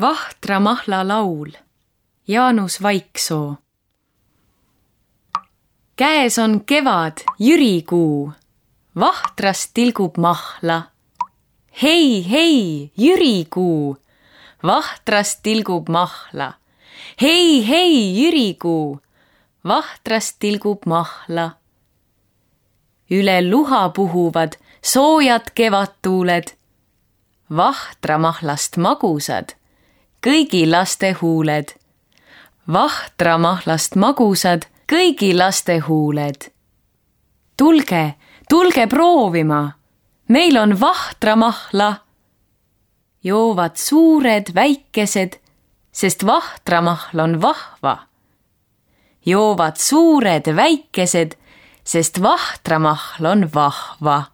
Vahtramahla laul, Jaanus Vaiksoo. Käes on kevad, jürikuu, vahtrast tilgub mahla. Hei, hei, jürikuu, vahtrast tilgub mahla. Hei, hei, jürikuu, vahtrast tilgub mahla. Üle luha puhuvad soojad kevadtuuled, vahramahlast magusad kõigi laste huuled. Vahramahlast magusad kõigi laste huuled. Tulge, tulge proovima, meil on vahramahla. Joovad suured, väikesed, sest vahramahl on vahva. Joovad suured, väikesed, sest vahramahl on vahva.